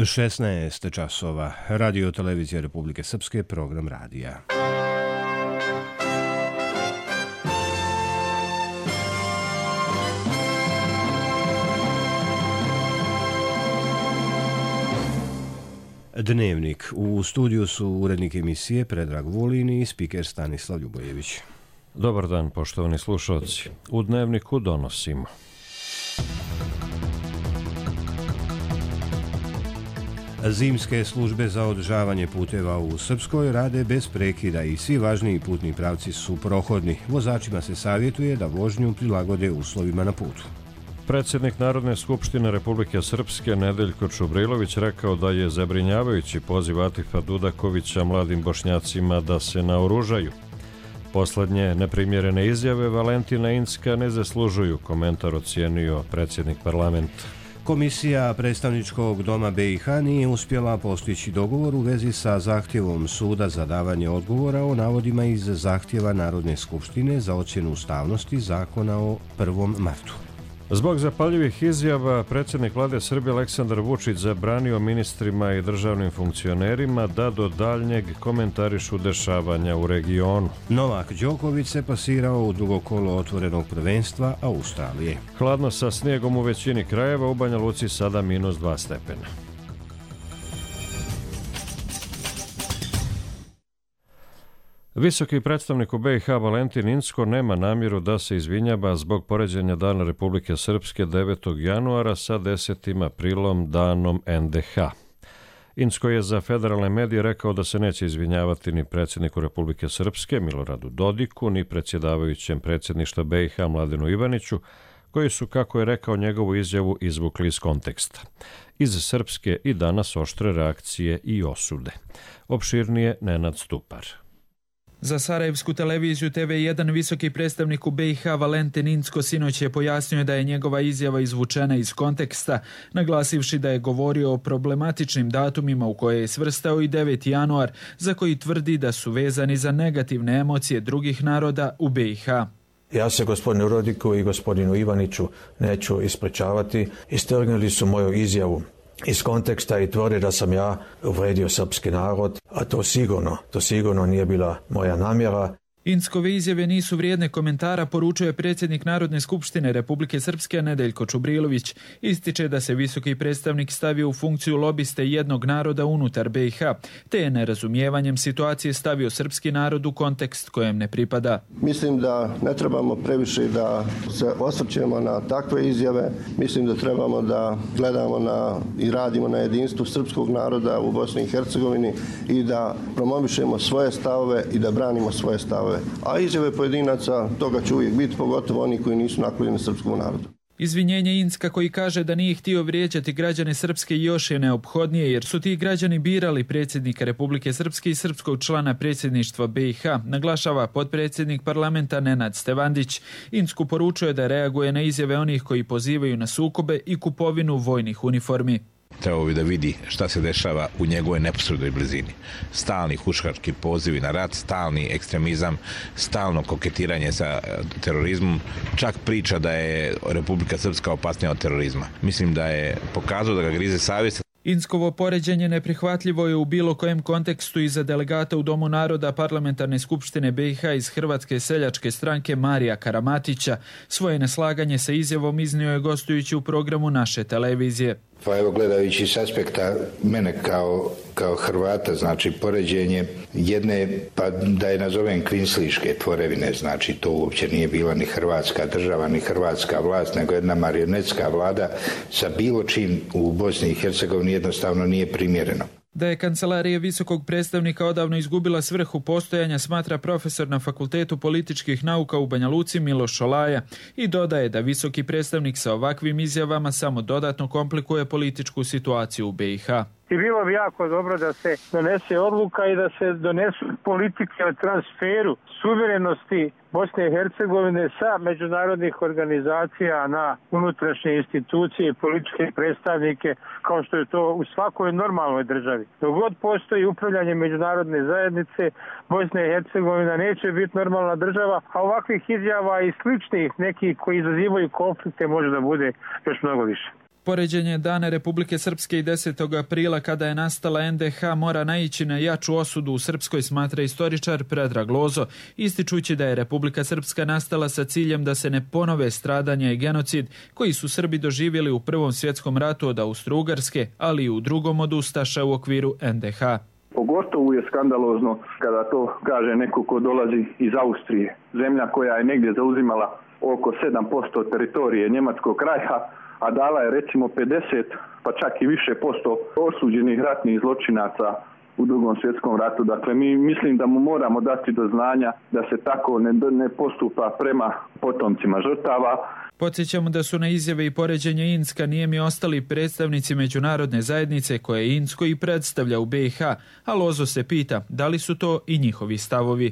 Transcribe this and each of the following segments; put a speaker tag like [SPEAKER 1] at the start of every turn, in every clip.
[SPEAKER 1] 16 časova. Radio Televizija Republike Srpske, program radija. Dnevnik. U studiju su urednik emisije Predrag Vulin i spiker Stanislav Ljubojević.
[SPEAKER 2] Dobar dan, poštovani slušalci. U Dnevniku donosimo:
[SPEAKER 1] zimske službe za održavanje puteva u Srpskoj rade bez prekida i svi važniji putni pravci su prohodni. Vozačima se savjetuje da vožnju prilagode uslovima na putu.
[SPEAKER 2] Predsjednik Narodne skupštine Republike Srpske Nedeljko Čubrilović rekao da je zabrinjavajući poziv Atifa Dudakovića mladim Bošnjacima da se naoružaju. Poslednje neprimjerene izjave Valentina Incka ne zaslužuju komentar, ocijenio predsjednik parlamenta.
[SPEAKER 1] Komisija predstavničkog doma BiH nije uspjela postići dogovor u vezi sa zahtjevom suda za davanje odgovora o navodima iz zahtjeva Narodne skupštine za ocjenu ustavnosti zakona o 1. martu.
[SPEAKER 2] Zbog zapaljivih izjava predsjednik vlade Srbije Aleksandar Vučić zabranio ministrima i državnim funkcionerima da do daljnjeg komentarišu dešavanja u regionu.
[SPEAKER 1] Novak Đoković se plasirao u drugo kolo otvorenog prvenstva Australije.
[SPEAKER 2] Hladno sa snijegom u većini krajeva, u Banja Luci sada -2 stepena. Visoki predstavnik u BiH Valentin Incko nema namjeru da se izvinjava zbog poređenja Dana Republike Srpske 9. januara sa 10. aprilom, danom NDH. Incko je za federalne medije rekao da se neće izvinjavati ni predsjedniku Republike Srpske Miloradu Dodiku, ni predsjedavajućem predsjedništva BiH Mladenu Ivaniću, koji su, kako je rekao, njegovu izjavu izvukli iz konteksta. Iz Srpske i danas oštre reakcije i osude. Opširnije Nenad Stupar.
[SPEAKER 3] Za Sarajevsku televiziju TV1 visoki predstavnik u BiH Valentin Incko sinoć je pojasnio da je njegova izjava izvučena iz konteksta, naglasivši da je govorio o problematičnim datumima u koje je svrstao i 9. januar, za koji tvrdi da su vezani za negativne emocije drugih naroda u BiH.
[SPEAKER 4] Ja se gospodinu Rodiku i gospodinu Ivaniću neću ispričavati. Istrgnuli su moju izjavu iz konteksta i tvrdi da sam ja uvredio srpski narod, a to sigurno nije bila moja namjera.
[SPEAKER 3] Inckove izjave nisu vrijedne komentara, poručuje predsjednik Narodne skupštine Republike Srpske Nedeljko Čubrilović. Ističe da se visoki predstavnik stavio u funkciju lobiste jednog naroda unutar BiH, te je nerazumijevanjem situacije stavio srpski narod u kontekst kojem ne pripada.
[SPEAKER 5] Mislim da ne trebamo previše da se osvrćemo na takve izjave. Mislim da trebamo da gledamo i radimo na jedinstvu srpskog naroda u Bosni i Hercegovini i da promovišemo svoje stavove i da branimo svoje stavove. A izjave pojedinaca, toga će uvijek biti, pogotovo oni koji nisu naklonjeni srpskom narodu.
[SPEAKER 3] Izvinjenje Incka, koji kaže da nije htio vrijeđati građane Srpske, još je neophodnije jer su ti građani birali predsjednika Republike Srpske i srpskog člana predsjedništva BiH, naglašava potpredsjednik parlamenta Nenad Stevandić. Incku poručuje da reaguje na izjave onih koji pozivaju na sukobe i kupovinu vojnih uniformi.
[SPEAKER 6] Trebao bi da vidi šta se dešava u njegovoj neposrednoj blizini. Stalni huškački pozivi na rat, stalni ekstremizam, stalno koketiranje sa terorizmom, čak priča da je Republika Srpska opasnija od terorizma. Mislim da je pokazao da ga grize savjest.
[SPEAKER 3] Inckovo poređenje neprihvatljivo je u bilo kojem kontekstu i za delegata u Domu naroda Parlamentarne skupštine BiH iz Hrvatske seljačke stranke Marija Karamatića. Svoje neslaganje sa izjavom iznio je gostujući u programu naše televizije.
[SPEAKER 7] Pa evo, gledajući s aspekta mene kao Hrvata, znači poređenje jedne, pa da je nazovem kvinsliške tvorevine, znači to uopće nije bila ni hrvatska država, ni hrvatska vlast, nego jedna marionetska vlada sa bilo čim u Bosni i Hercegovini jednostavno nije primjereno.
[SPEAKER 3] Da je kancelarija visokog predstavnika odavno izgubila svrhu postojanja, smatra profesor na Fakultetu političkih nauka u Banja Luci Miloš Šolaja i dodaje da visoki predstavnik sa ovakvim izjavama samo dodatno komplikuje političku situaciju u BiH.
[SPEAKER 8] I bilo bi jako dobro da se donese odluka i da se donesu politike o transferu suverenosti Bosne i Hercegovine sa međunarodnih organizacija na unutrašnje institucije i političke predstavnike, kao što je to u svakoj normalnoj državi. Dok god postoji upravljanje međunarodne zajednice, Bosna i Hercegovina neće biti normalna država, a ovakvih izjava i sličnih nekih koji izazivaju konflikte može da bude još mnogo više.
[SPEAKER 3] Poređenje Dana Republike Srpske i 10. aprila kada je nastala NDH mora naići na jaču osudu u Srpskoj, smatra istoričar Predrag Lozo, ističući da je Republika Srpska nastala sa ciljem da se ne ponove stradanja i genocid koji su Srbi doživjeli u Prvom svjetskom ratu od Austro-Ugarske, ali i u drugom od ustaša u okviru NDH.
[SPEAKER 9] Pogotovo je skandalozno kada to kaže neko ko dolazi iz Austrije, zemlja koja je negdje zauzimala oko 7% teritorije Njemačkog kraja, a dala je recimo 50, pa čak i više posto osuđenih ratnih zločinaca u Drugom svjetskom ratu. Dakle, mi mislim da mu moramo dati do znanja da se tako ne postupa prema potomcima žrtava.
[SPEAKER 3] Podsjećamo da su na izjave i poređenje Inska nijemi ostali predstavnici međunarodne zajednice koje Insko i predstavlja u BiH, a Lozo se pita da li su to i njihovi stavovi.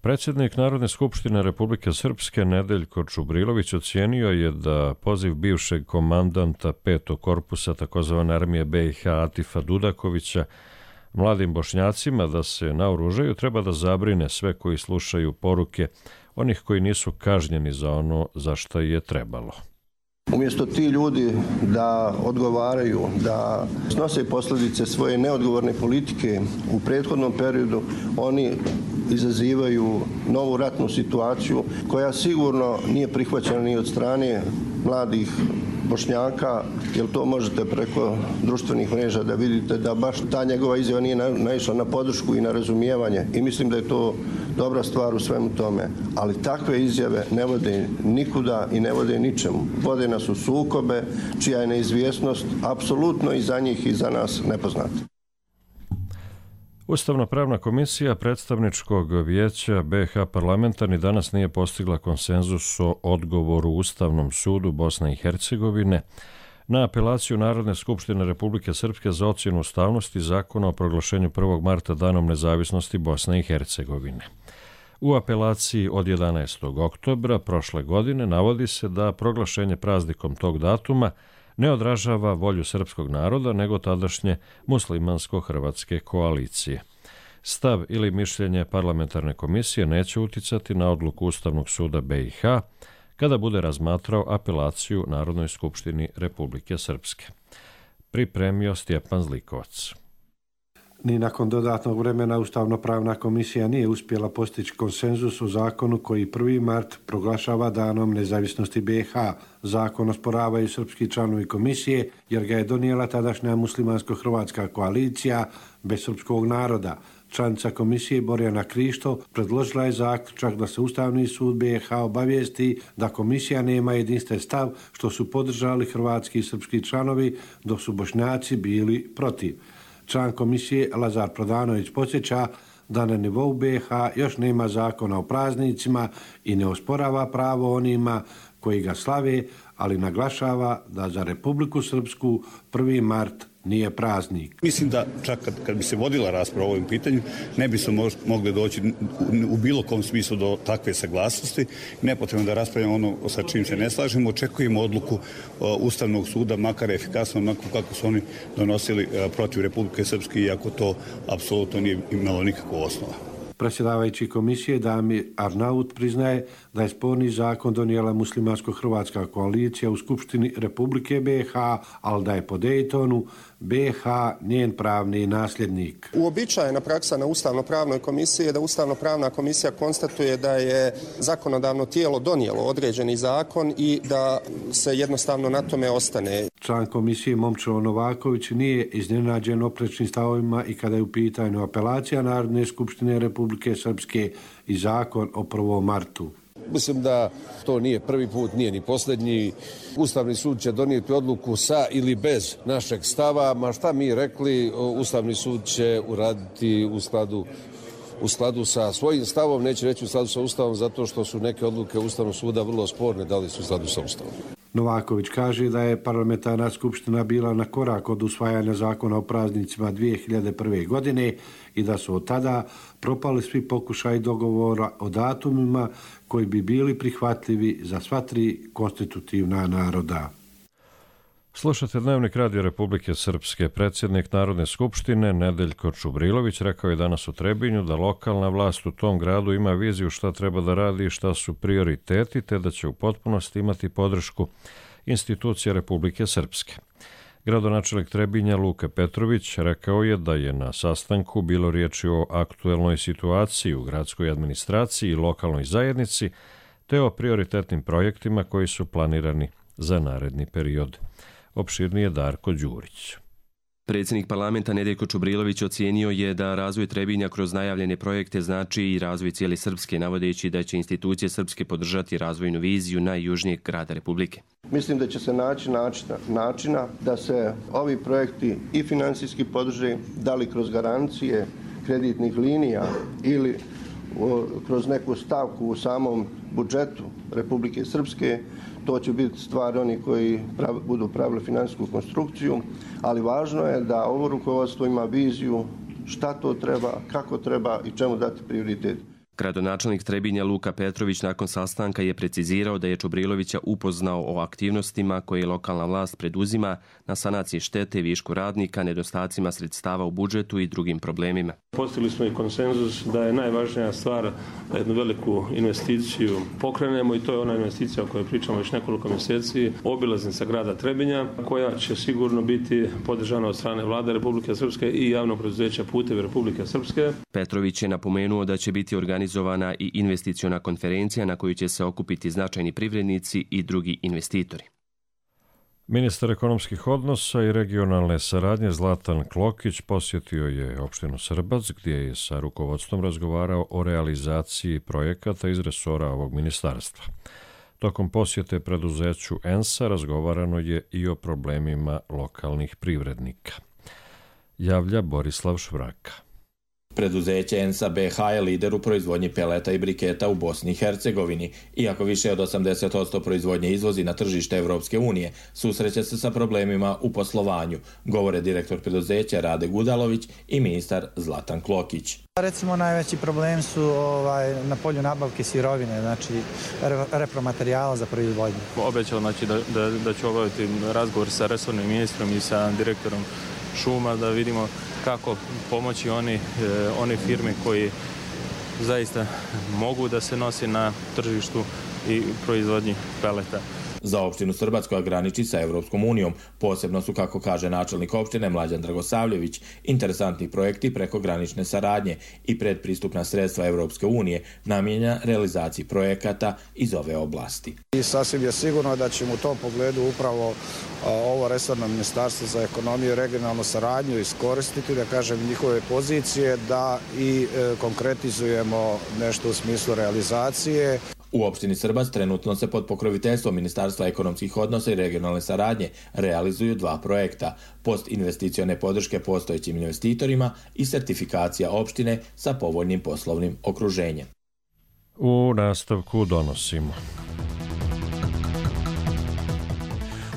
[SPEAKER 2] Predsjednik Narodne skupštine Republike Srpske Nedeljko Čubrilović ocijenio je da poziv bivšeg komandanta 5. korpusa tzv. Armije BiH Atifa Dudakovića mladim Bošnjacima da se naoružaju treba da zabrine sve koji slušaju poruke onih koji nisu kažnjeni za ono za što je trebalo.
[SPEAKER 5] Umjesto ti ljudi da odgovaraju, da snose posljedice svoje neodgovorne politike u prethodnom periodu, oni izazivaju novu ratnu situaciju koja sigurno nije prihvaćena ni od strane mladih Bošnjaka, jer to možete preko društvenih mreža da vidite da baš ta njegova izjava nije naišla na podršku i na razumijevanje i mislim da je to dobra stvar u svemu tome. Ali takve izjave ne vode nikuda i ne vode ničemu. Vode nas u sukobe, čija je neizvjesnost apsolutno i za njih i za nas nepoznata.
[SPEAKER 2] Ustavno-pravna komisija predstavničkog vijeća BiH parlamenta ni danas nije postigla konsenzus o odgovoru Ustavnom sudu Bosne i Hercegovine na apelaciju Narodne skupštine Republike Srpske za ocjenu ustavnosti zakona o proglašenju 1. marta danom nezavisnosti Bosne i Hercegovine. U apelaciji od 11. oktobra prošle godine navodi se da proglašenje praznikom tog datuma ne odražava volju srpskog naroda, nego tadašnje muslimansko-hrvatske koalicije. Stav ili mišljenje parlamentarne komisije neće uticati na odluku Ustavnog suda BiH kada bude razmatrao apelaciju Narodnoj skupštini Republike Srpske. Pripremio Stjepan Zlikovac.
[SPEAKER 10] Ni nakon dodatnog vremena Ustavno-pravna komisija nije uspjela postići konsenzus o zakonu koji 1. mart proglašava danom nezavisnosti BiH. Zakon osporavaju srpski članovi komisije jer ga je donijela tadašnja muslimansko-hrvatska koalicija bez srpskog naroda. Članica komisije Borjana Krišto predložila je zaključak da se Ustavni sud BiH obavijesti da komisija nema jedinstven stav, što su podržali hrvatski i srpski članovi, dok su Bošnjaci bili protiv. Član komisije Lazar Prodanović podsjeća da na nivou BiH još nema zakona o praznicima i ne osporava pravo onima koji ga slave, ali naglašava da za Republiku Srpsku 1. mart nije praznik.
[SPEAKER 11] Mislim da čak kad bi se vodila rasprava o ovim pitanju, ne bi se mogli doći u bilo kom smislu do takve saglasnosti. Nepotrebno da raspravljamo ono sa čim se ne slažemo. Očekujemo odluku Ustavnog suda, makar efikasno, onako kako su oni donosili protiv Republike Srpske, iako to apsolutno nije imalo nikakvu osnova.
[SPEAKER 10] Predsjedavajući komisije Damir Arnaut priznaje da je sporni zakon donijela muslimansko-hrvatska koalicija u Skupštini Republike BiH, ali da je po Dejtonu BiH njen pravni nasljednik.
[SPEAKER 12] Uobičajena praksa na Ustavno-pravnoj komisiji je da Ustavno-pravna komisija konstatuje da je zakonodavno tijelo donijelo određeni zakon i da se jednostavno na tome ostane.
[SPEAKER 10] Član komisije Momčilo Novaković nije iznenađen oprečnim stavovima i kada je u pitanju apelacija Narodne skupštine Republike Srpske i zakon o 1. martu.
[SPEAKER 13] Mislim da to nije prvi put, nije ni posljednji. Ustavni sud će donijeti odluku sa ili bez našeg stava, ma šta mi rekli, Ustavni sud će uraditi u skladu sa svojim stavom, neće reći u skladu sa Ustavom, zato što su neke odluke Ustavnog suda vrlo sporne, da li su u skladu sa Ustavom.
[SPEAKER 10] Novaković kaže da je parlamentarna skupština bila na korak od usvajanja zakona o praznicima 2001. godine i da su od tada propali svi pokušaji dogovora o datumima koji bi bili prihvatljivi za sva tri konstitutivna naroda.
[SPEAKER 2] Slušate Dnevnik Radio Republike Srpske. Predsjednik Narodne skupštine Nedeljko Čubrilović rekao je danas u Trebinju da lokalna vlast u tom gradu ima viziju šta treba da radi i šta su prioriteti, te da će u potpunosti imati podršku institucija Republike Srpske. Gradonačelnik Trebinja Luka Petrović rekao je da je na sastanku bilo riječi o aktuelnoj situaciji u gradskoj administraciji i lokalnoj zajednici, te o prioritetnim projektima koji su planirani za naredni period. Opširnije Darko Đurić.
[SPEAKER 14] Predsjednik parlamenta Nedeljko Čubrilović ocijenio je da razvoj Trebinja kroz najavljene projekte znači i razvoj cijele Srpske, navodeći da će institucije Srpske podržati razvojnu viziju najjužnijeg grada Republike.
[SPEAKER 5] Mislim da će se naći načina da se ovi projekti i financijski podrže, da li kroz garancije kreditnih linija ili kroz neku stavku u samom budžetu Republike Srpske. To će biti stvar oni koji budu pravili financijsku konstrukciju, ali važno je da ovo rukovodstvo ima viziju šta to treba, kako treba i čemu dati prioritet.
[SPEAKER 14] Gradonačelnik Trebinja Luka Petrović nakon sastanka je precizirao da je Čubrilovića upoznao o aktivnostima koje lokalna vlast preduzima na sanaciji štete, višku radnika, nedostacima sredstava u budžetu i drugim problemima.
[SPEAKER 15] Postigli smo i konsenzus da je najvažnija stvar da jednu veliku investiciju pokrenemo i to je ona investicija o kojoj pričamo već nekoliko mjeseci, obilaznica grada Trebinja, koja će sigurno biti podržana od strane Vlade Republike Srpske i javnog preduzeća Putevi Republike Srpske.
[SPEAKER 14] Petrović je napomenuo da će biti organizovana i investiciona konferencija na koju će se okupiti značajni privrednici i drugi investitori.
[SPEAKER 2] Ministar ekonomskih odnosa i regionalne saradnje Zlatan Klokić posjetio je opštinu Srbac, gdje je sa rukovodstvom razgovarao o realizaciji projekata iz resora ovog ministarstva. Tokom posjete preduzeću ENSA razgovarano je i o problemima lokalnih privrednika. Javlja Borislav Švraka.
[SPEAKER 16] Preduzeće ENSA BH je lider u proizvodnji peleta i briketa u Bosni i Hercegovini. Iako više od 80% proizvodnje izvozi na tržište Evropske unije, susreće se sa problemima u poslovanju, govore direktor preduzeća Rade Gudalović i ministar Zlatan Klokić.
[SPEAKER 17] Recimo najveći problem su na polju nabavke sirovine, znači repromaterijala za proizvodnju.
[SPEAKER 18] Obećao da ću obaviti razgovor sa resornim ministrom i sa direktorom šuma da vidimo kako pomoći one firme koji zaista mogu da se nosi na tržištu i proizvodnji peleta.
[SPEAKER 16] Za opštinu Srbac koja graniči sa Evropskom unijom posebno su, kako kaže načelnik opštine Mlađan Dragosavljević, interesantni projekti preko granične saradnje i predpristupna sredstva Evropske unije namijenjena realizaciji projekata iz ove oblasti.
[SPEAKER 19] I sasvim je sigurno da ćemo u tom pogledu upravo ovo resorno ministarstvo za ekonomiju i regionalnu saradnju iskoristiti, da kažem, njihove pozicije da i konkretizujemo nešto u smislu realizacije.
[SPEAKER 16] U opštini Srbac trenutno se pod pokroviteljstvom Ministarstva ekonomskih odnosa i regionalne saradnje realizuju 2 projekta, postinvesticione podrške postojećim investitorima i sertifikacija opštine sa povoljnim poslovnim okruženjem.
[SPEAKER 2] U nastavku donosimo.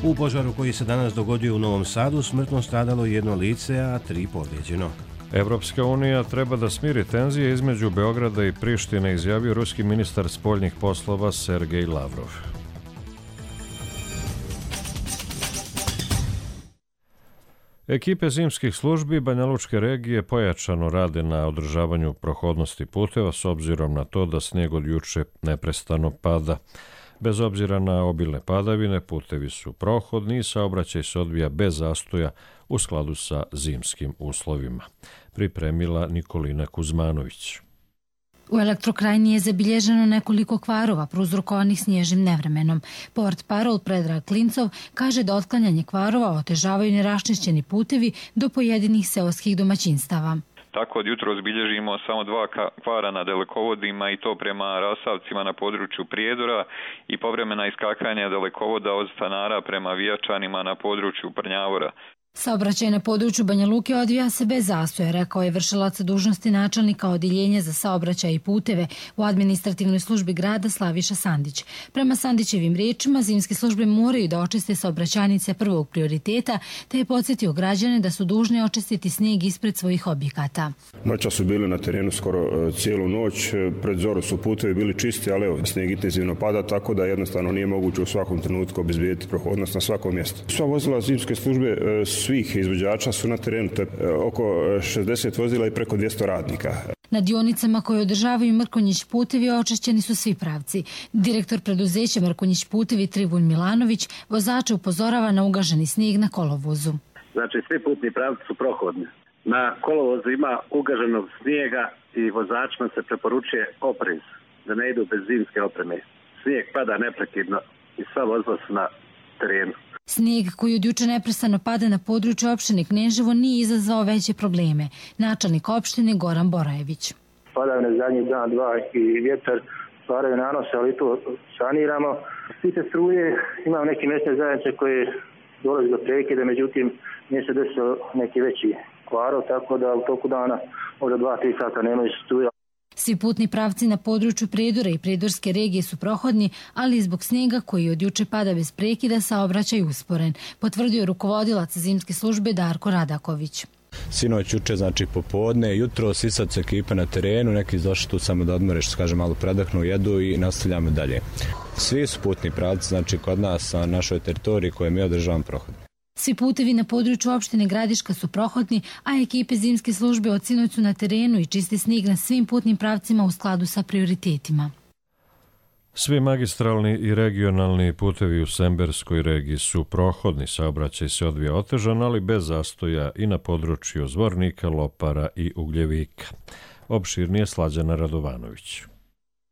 [SPEAKER 1] U požaru koji se danas dogodio u Novom Sadu smrtno stradalo 1 lice, a 3 povrijeđeno.
[SPEAKER 2] Evropska unija treba da smiri tenzije između Beograda i Prištine, izjavio ruski ministar spoljnih poslova Sergej Lavrov. Ekipe zimskih službi Banjalučke regije pojačano rade na održavanju prohodnosti puteva s obzirom na to da snijeg od juče neprestano pada. Bez obzira na obilne padavine, putevi su prohodni i saobraćaj se odvija bez zastoja u skladu sa zimskim uslovima. Pripremila Nikolina Kuzmanović.
[SPEAKER 20] U Elektrokrajini je zabilježeno nekoliko kvarova prouzrokovanih snježnim nevremenom. Port parol Predrag Klincov kaže da otklanjanje kvarova otežavaju neraščišćeni putevi do pojedinih seoskih domaćinstava.
[SPEAKER 21] Tako od jutros bilježimo samo 2 kvara na dalekovodima i to prema rasavcima na području Prijedora i povremena iskakanja dalekovoda od Stanara prema Vijačanima na području Prnjavora.
[SPEAKER 20] Saobraćaj na području Banja Luke odvija se bez zastoja, rekao je vršilac dužnosti načelnika Odeljenja za saobraćaj i puteve u administrativnoj službi grada Slaviša Sandić. Prema Sandićevim riječima, zimske službe moraju da očiste saobraćajnice prvog prioriteta, te je podsjetio građane da su dužni očistiti snijeg ispred svojih objekata.
[SPEAKER 4] Noća su bili na terenu skoro cijelu noć, pred zoru su putevi bili čisti, ali evo, snijeg intenzivno pada, tako da jednostavno nije moguće u svakom trenutku obezbijediti prohodnost na svakom mjestu. Sva vozila zimske službe svih izvođača su na terenu, to je oko 60 vozila i preko 200 radnika.
[SPEAKER 20] Na dionicama koje održavaju Mrkonjić putevi očišćeni su svi pravci. Direktor preduzeća Mrkonjić putevi Tribun Milanović vozača upozorava na ugaženi snijeg na kolovozu.
[SPEAKER 22] Znači svi putni pravci su prohodni. Na kolovozu ima ugaženog snijega i vozačima se preporučuje oprez, da ne idu bez zimske opreme. Snijeg pada neprekidno i sva vozila su na terenu.
[SPEAKER 20] Snijeg koji od juče neprestano pada na području opštine Kneževo nije izazvao veće probleme. Načelnik opštine Goran Borajević.
[SPEAKER 23] Padavine zadnjih dan, dva i vjetar stvaraju nanose, ali to saniramo. Stice struje, imam neke mjesne zajednice koje dolazi do prekida, međutim nije se desio neki veći kvarov, tako da u toku dana možda 2-3 sata nemaju struje.
[SPEAKER 20] Svi putni pravci na području Prijedora i Prijedorske regije su prohodni, ali zbog snijega koji od juče pada bez prekida saobraćaj usporen, potvrdio rukovodilac zimske službe Darko Radaković.
[SPEAKER 24] Sinoć, juče, znači popodne, jutro, sisac ekipa na terenu, neki došli tu samo da odmore, što se kaže, malo predahnu, jedu i nastavljamo dalje. Svi su putni pravci, znači kod nas na našoj teritoriji koje mi održavamo prohodni.
[SPEAKER 20] Svi putevi na području opštine Gradiška su prohodni, a ekipe zimske službe od sinoć su na terenu i čisti snijeg na svim putnim pravcima u skladu sa prioritetima.
[SPEAKER 2] Svi magistralni i regionalni putevi u Semberskoj regiji su prohodni, saobraćaj se odvija otežan, ali bez zastoja i na području Zvornika, Lopara i Ugljevika. Opširnije Slađana Radovanović.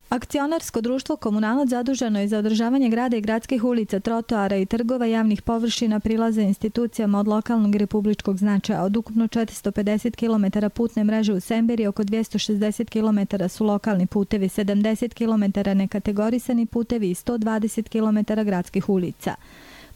[SPEAKER 25] Akcionarsko društvo Komunalac zaduženo je za održavanje grada i gradskih ulica, trotoara i trgova, javnih površina, prilaza institucijama od lokalnog i republičkog značaja. Od ukupno 450 km putne mreže u Semberi, oko 260 km su lokalni putevi, 70 km nekategorisani putevi i 120 km gradskih ulica.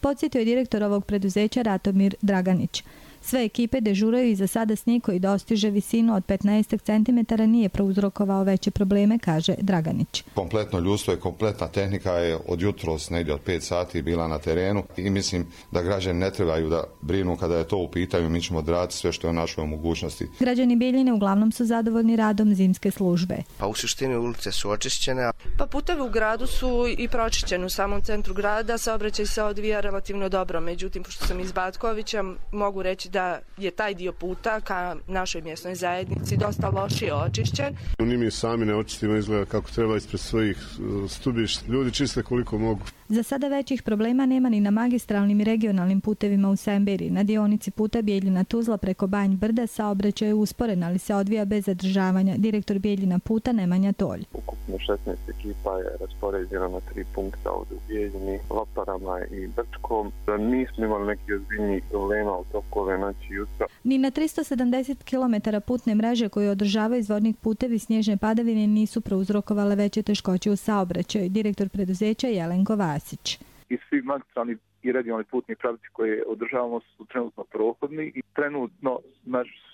[SPEAKER 25] Podsjetio je direktor ovog preduzeća Ratomir Draganić. Sve ekipe dežuraju i za sada snijeg koji dostiže visinu od 15 cm nije prouzrokovao veće probleme, kaže Draganić.
[SPEAKER 26] Kompletno ljudstvo i kompletna tehnika je od jutros negdje od 5 sati bila na terenu i mislim da građani ne trebaju da brinu kada je to u pitanju, mi ćemo odraditi sve što je u našoj mogućnosti.
[SPEAKER 25] Građani Bijeljine uglavnom su zadovoljni radom zimske službe.
[SPEAKER 27] Pa u suštini ulice su očišćene.
[SPEAKER 28] Pa putevi u gradu su i pročišćeni u samom centru grada, saobraćaj se odvija relativno dobro, međutim, pošto sam iz Batkovića, mogu reći da je taj dio puta ka našoj mjesnoj zajednici dosta lošije očišćen.
[SPEAKER 29] Ni mi sami ne očistimo, izgleda kako treba ispred svojih stubišta. Ljudi čiste koliko mogu.
[SPEAKER 25] Za sada većih problema nema ni na magistralnim i regionalnim putevima u Semberi. Na dionici puta Bijeljina Tuzla preko Banj Brda saobraćaj je usporen, ali se odvija bez zadržavanja. Direktor Bijeljina puta Nemanja Tolj.
[SPEAKER 30] Ukupno 16 ekipa je raspoređena na 3 punkta ovdje u Bijeljini, Loparama i Brčkom. Nismo imali neki ozbiljnih problema u toku ove noći i jutra.
[SPEAKER 25] Ni na 370 km putne mreže koje održavaju Zvornik putevi snježne padavine nisu prouzrokovale veće teškoće u saobraćaju. Direktor preduzeća Jelenko Vasić.
[SPEAKER 30] I svi magistralni i regionalni putni pravci koje održavamo su trenutno prohodni i trenutno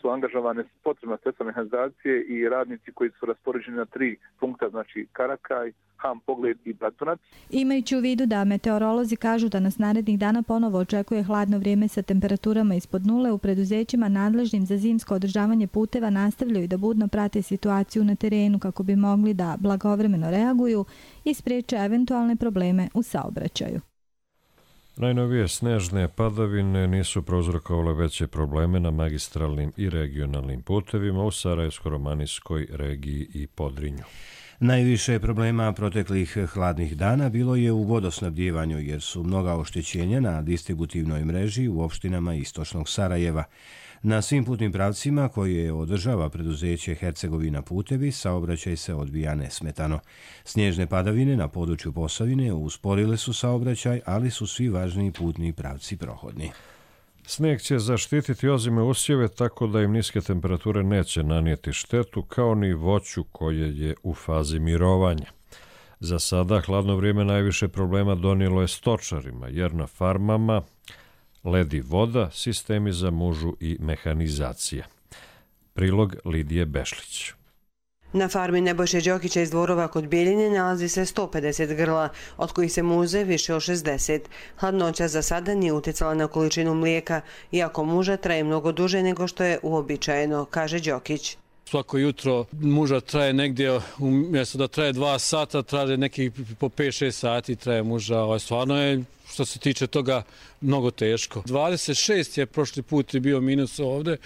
[SPEAKER 30] su angažovane potrebna sredstva mehanizacije i radnici koji su raspoređeni na 3 punkta, znači Karakaj, Ham, Pogled i Bratunac.
[SPEAKER 25] Imajući u vidu da meteorolozi kažu da nas narednih dana ponovo očekuje hladno vrijeme sa temperaturama ispod nule, u preduzećima nadležnim za zimsko održavanje puteva nastavljaju da budno prate situaciju na terenu kako bi mogli da blagovremeno reaguju i spriječe eventualne probleme u saobraćaju.
[SPEAKER 2] Najnovije snežne padavine nisu prouzrokovale veće probleme na magistralnim i regionalnim putevima u Sarajevsko-romanijskoj regiji i Podrinju.
[SPEAKER 1] Najviše problema proteklih hladnih dana bilo je u vodosnabdjevanju jer su mnoga oštećenja na distributivnoj mreži u opštinama istočnog Sarajeva. Na svim putnim pravcima koje održava preduzeće Hercegovina putevi saobraćaj se odvija nesmetano. Snježne padavine na području Posavine usporile su saobraćaj, ali su svi važniji putni pravci prohodni.
[SPEAKER 2] Snijeg će zaštititi ozime usjeve tako da im niske temperature neće nanijeti štetu, kao ni voću koje je u fazi mirovanja. Za sada hladno vrijeme najviše problema donijelo je stočarima, jer na farmama led i voda, sistemi za mužu i mehanizacija. Prilog Lidije Bešlić.
[SPEAKER 3] Na farmi Nebojše Đokića iz Dvorova kod Bijeljine nalazi se 150 grla, od kojih se muze više od 60. Hladnoća za sada nije utjecala na količinu mlijeka, iako muža traje mnogo duže nego što je uobičajeno, kaže Đokić.
[SPEAKER 5] Svako jutro muža traje negdje, umjesto da traje 2 sata, traje nekih po 5-6 sati traje muža. Stvarno je, što se tiče toga, mnogo teško. 26 je prošli put bio minus ovdje,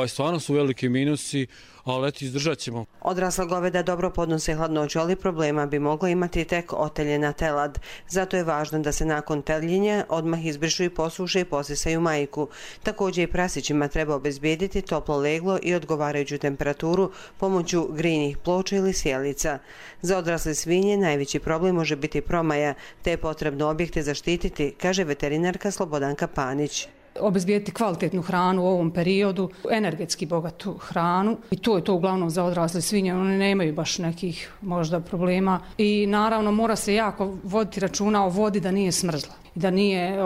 [SPEAKER 5] stvarno su veliki minusi, ali eto, izdržat ćemo.
[SPEAKER 3] Odrasla goveda dobro podnose hladnoću, ali problema bi mogla imati tek oteljena telad. Zato je važno da se nakon teljenja odmah izbrišu i posuše i posisaju majku. Također i prasićima treba obezbijediti toplo leglo i odgovarajuću temperaturu pomoću grijnih ploča ili sjelica. Za odrasle svinje najveći problem može biti promaja, te je potrebno objekte zaštititi, kaže veterinarka Slobodanka Panić.
[SPEAKER 6] Obezbijediti kvalitetnu hranu u ovom periodu, energetski bogatu hranu i to je to uglavnom za odrasle svinje, one nemaju baš nekih možda problema i naravno mora se jako voditi računa o vodi da nije smrzla i da nije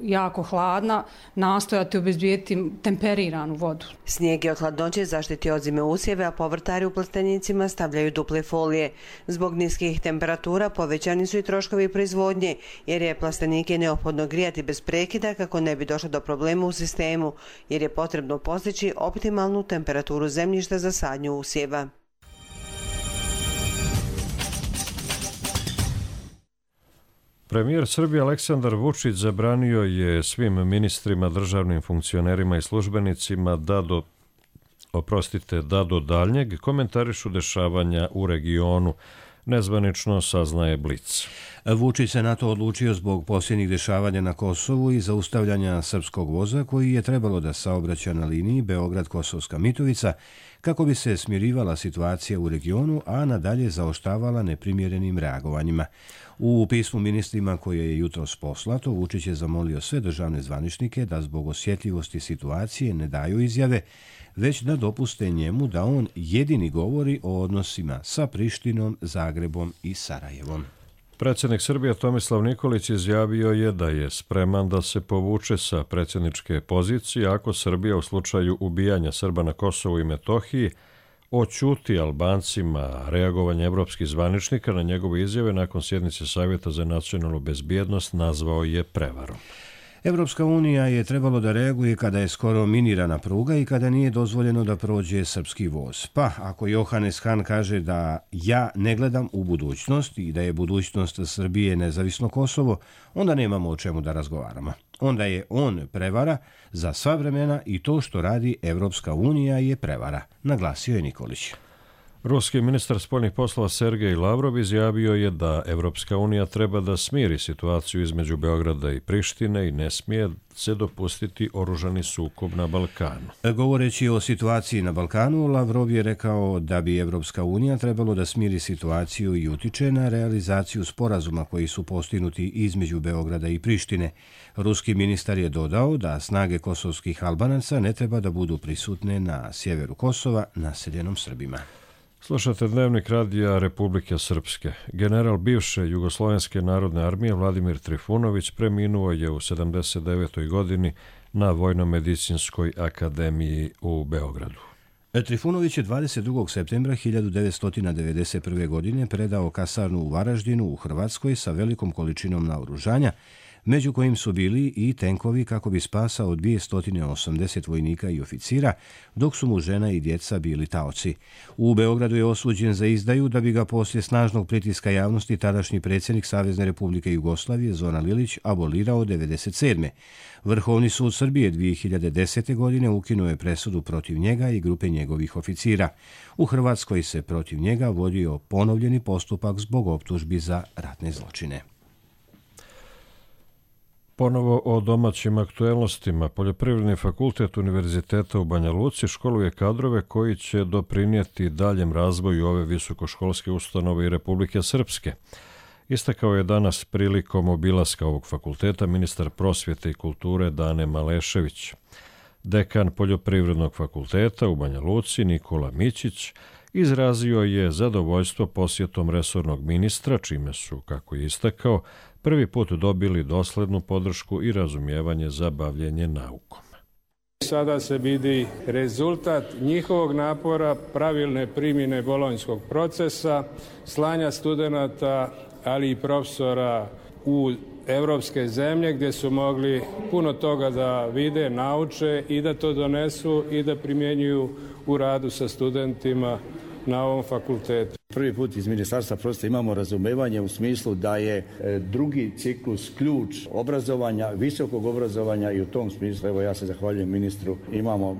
[SPEAKER 6] jako hladna, nastojati obezbijediti temperiranu vodu.
[SPEAKER 3] Snijeg je od hladnoće zaštiti od zime usjeve, a povrtari u plastenicima stavljaju duple folije. Zbog niskih temperatura povećani su i troškovi proizvodnje, jer je plastenike neophodno grijati bez prekida kako ne bi došlo do problema u sistemu, jer je potrebno postići optimalnu temperaturu zemljišta za sadnju usjeva.
[SPEAKER 2] Premijer Srbije Aleksandar Vučić zabranio je svim ministrima, državnim funkcionerima i službenicima da do daljnjeg komentarišu dešavanja u regionu. Nezvanično saznaje Blic.
[SPEAKER 1] Vučić se na to odlučio zbog posljednjih dešavanja na Kosovu i zaustavljanja srpskog voza koji je trebalo da saobraća na liniji Beograd-Kosovska Mitrovica kako bi se smirivala situacija u regionu, a nadalje zaoštavala neprimjerenim reagovanjima. U pismu ministrima koje je jutros poslato, Vučić je zamolio sve državne zvaničnike da zbog osjetljivosti situacije ne daju izjave, već da dopuste njemu da on jedini govori o odnosima sa Prištinom, Zagrebom i Sarajevom.
[SPEAKER 2] Predsjednik Srbije Tomislav Nikolić izjavio je da je spreman da se povuče sa predsjedničke pozicije ako Srbija u slučaju ubijanja Srba na Kosovu i Metohiji oćuti Albancima reagovanje evropskih zvaničnika na njegove izjave nakon sjednice Savjeta za nacionalnu bezbjednost nazvao je prevarom.
[SPEAKER 1] Evropska unija je trebalo da reaguje kada je skoro minirana pruga i kada nije dozvoljeno da prođe srpski voz. Pa, ako Johannes Hahn kaže da ja ne gledam u budućnost i da je budućnost Srbije nezavisno Kosovo, onda nemamo o čemu da razgovaramo. Onda je on prevara za sva vremena i to što radi Evropska unija je prevara, naglasio je Nikolić.
[SPEAKER 2] Ruski ministar spoljnih poslova Sergej Lavrov izjavio je da Evropska unija treba da smiri situaciju između Beograda i Prištine i ne smije se dopustiti oružani sukob na Balkanu.
[SPEAKER 1] Govoreći o situaciji na Balkanu, Lavrov je rekao da bi Evropska unija trebalo da smiri situaciju i utiče na realizaciju sporazuma koji su postignuti između Beograda i Prištine. Ruski ministar je dodao da snage kosovskih Albanaca ne treba da budu prisutne na sjeveru Kosova, naseljenom Srbima.
[SPEAKER 2] Slušate Dnevnik radija Republike Srpske. General bivše Jugoslovenske narodne armije Vladimir Trifunović preminuo je u 79. godini na Vojno-medicinskoj akademiji u Beogradu.
[SPEAKER 1] Trifunović je 22. septembra 1991. godine predao kasarnu u Varaždinu u Hrvatskoj sa velikom količinom naoružanja, među kojim su bili i tenkovi kako bi spasao 280 vojnika i oficira, dok su mu žena i djeca bili taoci. U Beogradu je osuđen za izdaju da bi ga poslije snažnog pritiska javnosti tadašnji predsjednik Savezne Republike Jugoslavije Zoran Lilić abolirao 1997. Vrhovni sud Srbije 2010. godine ukinuo je presudu protiv njega i grupe njegovih oficira. U Hrvatskoj se protiv njega vodio ponovljeni postupak zbog optužbi za ratne zločine.
[SPEAKER 2] Ponovo o domaćim aktuelnostima. Poljoprivredni fakultet Univerziteta u Banja Luci školuje kadrove koji će doprinijeti daljem razvoju ove visokoškolske ustanove i Republike Srpske. Istakao je danas prilikom obilaska ovog fakulteta ministar prosvjete i kulture Dane Malešević. Dekan Poljoprivrednog fakulteta u Banja Luci Nikola Mićić izrazio je zadovoljstvo posjetom resornog ministra, čime su, kako je istakao, prvi put dobili doslednu podršku i razumijevanje za bavljenje naukom.
[SPEAKER 7] Sada se vidi rezultat njihovog napora, pravilne primjene bolonjskog procesa, slanja studenata, ali i profesora u evropske zemlje gdje su mogli puno toga da vide, nauče i da to donesu i da primjenjuju u radu sa studentima na ovom fakultetu.
[SPEAKER 8] Prvi put iz Ministarstva prosvjete imamo razumevanje u smislu da je drugi ciklus ključ obrazovanja, visokog obrazovanja i u tom smislu, evo ja se zahvaljujem ministru, imamo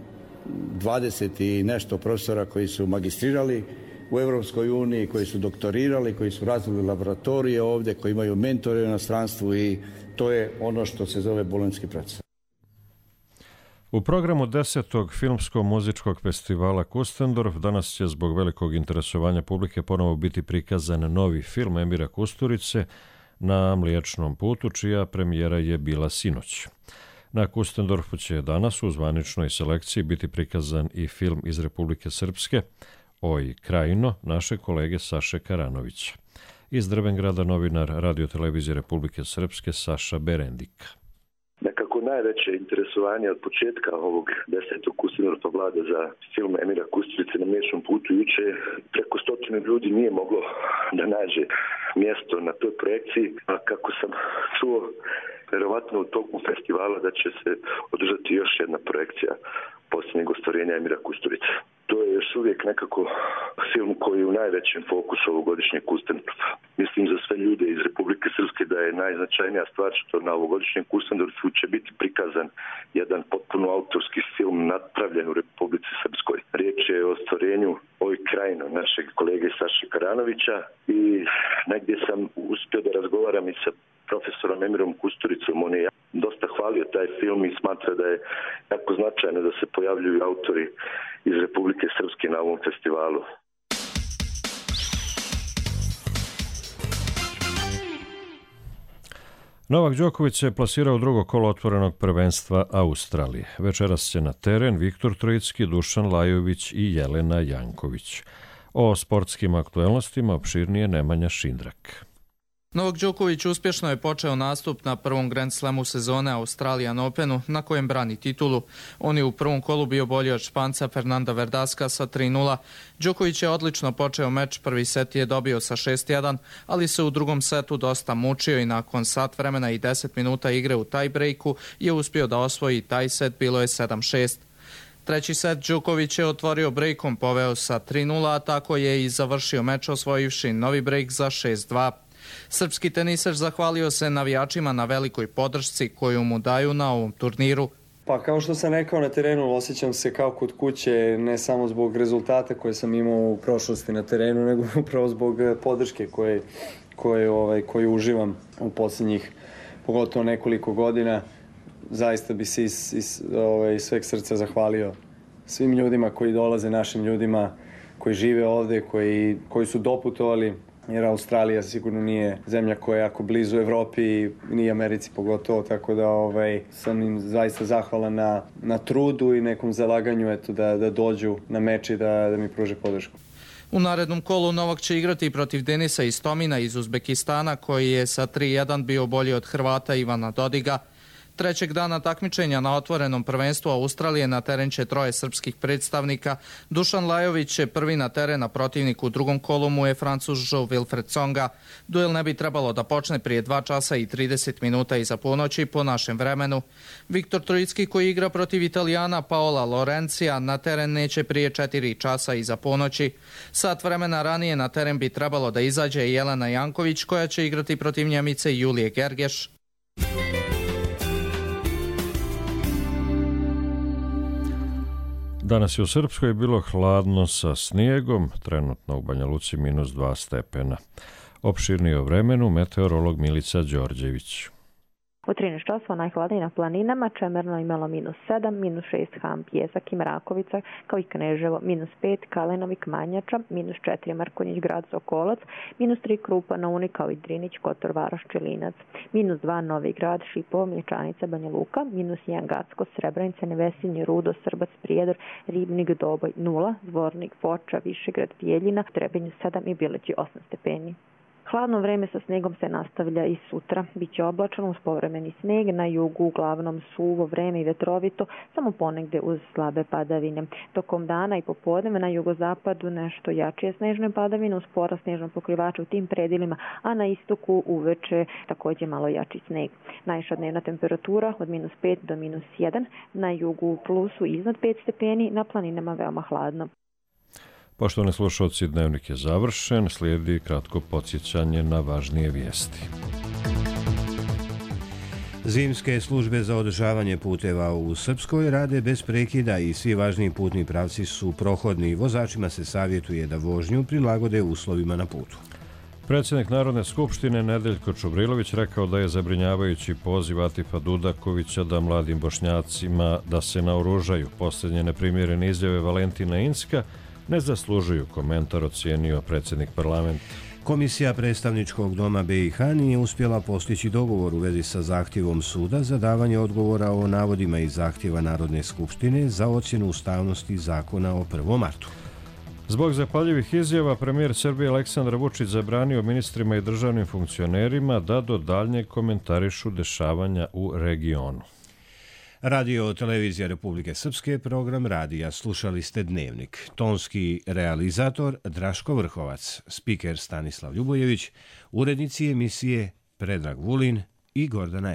[SPEAKER 8] 20 i nešto profesora koji su magistrirali u Europskoj uniji, koji su doktorirali, koji su razvili laboratorije ovdje, koji imaju mentore u inostranstvu i to je ono što se zove bolonjski proces.
[SPEAKER 2] U programu 10. filmsko-muzičkog festivala Kustendorf danas će zbog velikog interesovanja publike ponovo biti prikazan novi film Emira Kusturice Na Mliječnom putu, čija premijera je bila sinoć. Na Kustendorfu će danas u zvaničnoj selekciji biti prikazan i film iz Republike Srpske Oj Krajino, naše kolege Saše Karanovića. Iz Drvengrada novinar Radio-televizije Republike Srpske Saša Berendika.
[SPEAKER 9] Nekako najveće interesovanje od početka ovog 10. Kustendorfa vlada za film Emira Kusturice Na Mliječnom putu. Juče preko 100 ljudi nije moglo da nađe mjesto na toj projekciji, a kako sam čuo, verovatno u toku festivala da će se održati još jedna projekcija posljednjeg ostvarenja Emira Kusturice. To je još uvijek nekako film koji je u najvećem fokusu ovogodišnjeg Kustendorfa. Mislim za sve ljude iz Republike Srpske da je najznačajnija stvar što na ovogodišnjem Kustendorfu će biti prikazan jedan potpuno autorski film napravljen u Republici Srpskoj. Riječ je o ostvarenju Oj Krajino našeg kolege Saše Karanovića i negdje sam uspio da razgovaram i sa profesorom Emirom Kusturicom. On je dosta hvalio taj film i smatra da je jako značajno da se pojavljuju autori iz Republike Srpske na ovom festivalu.
[SPEAKER 2] Novak Đoković se plasirao u drugo kolo otvorenog prvenstva Australije. Večeras će na teren Viktor Trojicki, Dušan Lajović i Jelena Janković. O sportskim aktuelnostima opširnije Nemanja Šindrak.
[SPEAKER 10] Novak Đoković uspješno je počeo nastup na prvom Grand Slamu sezone Australian Openu, na kojem brani titulu. On je u prvom kolu bio bolji od Španca Fernanda Verdaska sa 3:0. Đoković je odlično počeo meč, prvi set je dobio sa 6:1, ali se u drugom setu dosta mučio i nakon sat vremena i 10 minuta igre u tie-breaku je uspio da osvoji taj set, bilo je 7:6. Treći set Đoković je otvorio breakom, poveo sa 3:0, a tako je i završio meč osvojivši novi break za 6:2. Srpski teniser zahvalio se navijačima na velikoj podršci koju mu daju na ovom turniru.
[SPEAKER 11] Pa kao što sam rekao na terenu, osjećam se kao kod kuće, ne samo zbog rezultata koje sam imao u prošlosti na terenu, nego upravo zbog podrške koje uživam u posljednjih, pogotovo nekoliko godina. Zaista bi se iz sveg srca zahvalio svim ljudima koji dolaze, našim ljudima koji žive ovdje, koji su doputovali, jer Australija sigurno nije zemlja koja je jako blizu Evropi i ni Americi pogotovo, tako da sam im zaista zahvalan na trudu i nekom zalaganju da dođu na meč i da mi pruže podršku.
[SPEAKER 10] U narednom kolu Novak će igrati protiv Denisa Istomina iz Uzbekistana, koji je sa 3:1 bio bolji od Hrvata Ivana Dodiga. Trećeg dana takmičenja na otvorenom prvenstvu Australije na teren će troje srpskih predstavnika. Dušan Lajović je prvi na teren, a protivnik u drugom kolu mu je Francuz Wilfried Tsonga. Duel ne bi trebalo da počne prije 2 časa i 30 minuta iza ponoći po našem vremenu. Viktor Trojicki, koji igra protiv Italijana Paola Lorencija, na teren neće prije 4 časa iza ponoći. Sat vremena ranije na teren bi trebalo da izađe Jelena Janković, koja će igrati protiv Njemice Julije Gergeš.
[SPEAKER 2] Danas je u Srpskoj bilo hladno sa snijegom, trenutno u Banja Luci -2 stepena. Opširnije o vremenu meteorolog Milica Đorđević.
[SPEAKER 4] U 13 časova najhladnije na planinama, Čemerno imalo -7, -6 Ham, Pjesak i Mrakovica, kao i Kneževo, -5 Kalenovik, Manjača, -4 Mrkonjić, Grad Sokolac, -3 Krupa, Naunik, kao i Drinić, Kotor, Varoš, Čilinac, -2 Novi Grad, Šipovo, Mlječanica, Banja Luka, -1 Gacko, Srebrenica, Nevesinje, Rudo, Srbac, Prijedor, Ribnik, Doboj 0, Zvornik, Foča, Višegrad, Bijeljina, Trebinju 7 i Bileći 8 stepeni. Hladno vreme sa snegom se nastavlja i sutra. Biće oblačano uz povremeni sneg, na jugu uglavnom suvo vreme i vetrovito, samo ponegde uz slabe padavine. Tokom dana i popodne na jugozapadu nešto jačije snežne padavine uz porast snežnog pokrivača u tim predjelima, a na istoku uveče također malo jači sneg. Najviša dnevna temperatura od -5 do -1, na jugu u plusu iznad 5 stepeni, na planinama veoma hladno.
[SPEAKER 2] Poštovani slušalci, dnevnik je završen, slijedi kratko podsjećanje na važnije vijesti.
[SPEAKER 1] Zimske službe za održavanje puteva u Srpskoj rade bez prekida i svi važniji putni pravci su prohodni. Vozačima se savjetuje da vožnju prilagode uslovima na putu.
[SPEAKER 2] Predsjednik Narodne skupštine Nedeljko Čubrilović rekao da je zabrinjavajući poziv Atifa Dudakovića da mladim Bošnjacima da se naoružaju. Posljednje neprimjerene izjave Valentina Inska ne zaslužuju komentar, ocijenio predsjednik parlamenta.
[SPEAKER 1] Komisija predstavničkog doma BiH nije uspjela postići dogovor u vezi sa zahtjevom suda za davanje odgovora o navodima iz zahtjeva Narodne skupštine za ocjenu ustavnosti zakona o 1. martu.
[SPEAKER 2] Zbog zapaljivih izjava premijer Srbije Aleksandar Vučić zabranio ministrima i državnim funkcionerima da do daljnjeg komentarišu dešavanja u regionu.
[SPEAKER 1] Radio Televizija Republike Srpske, program radija. Slušali ste Dnevnik. Tonski realizator Draško Vrhovac, spiker Stanislav Ljubojević, urednici emisije Predrag Vulin i Gordana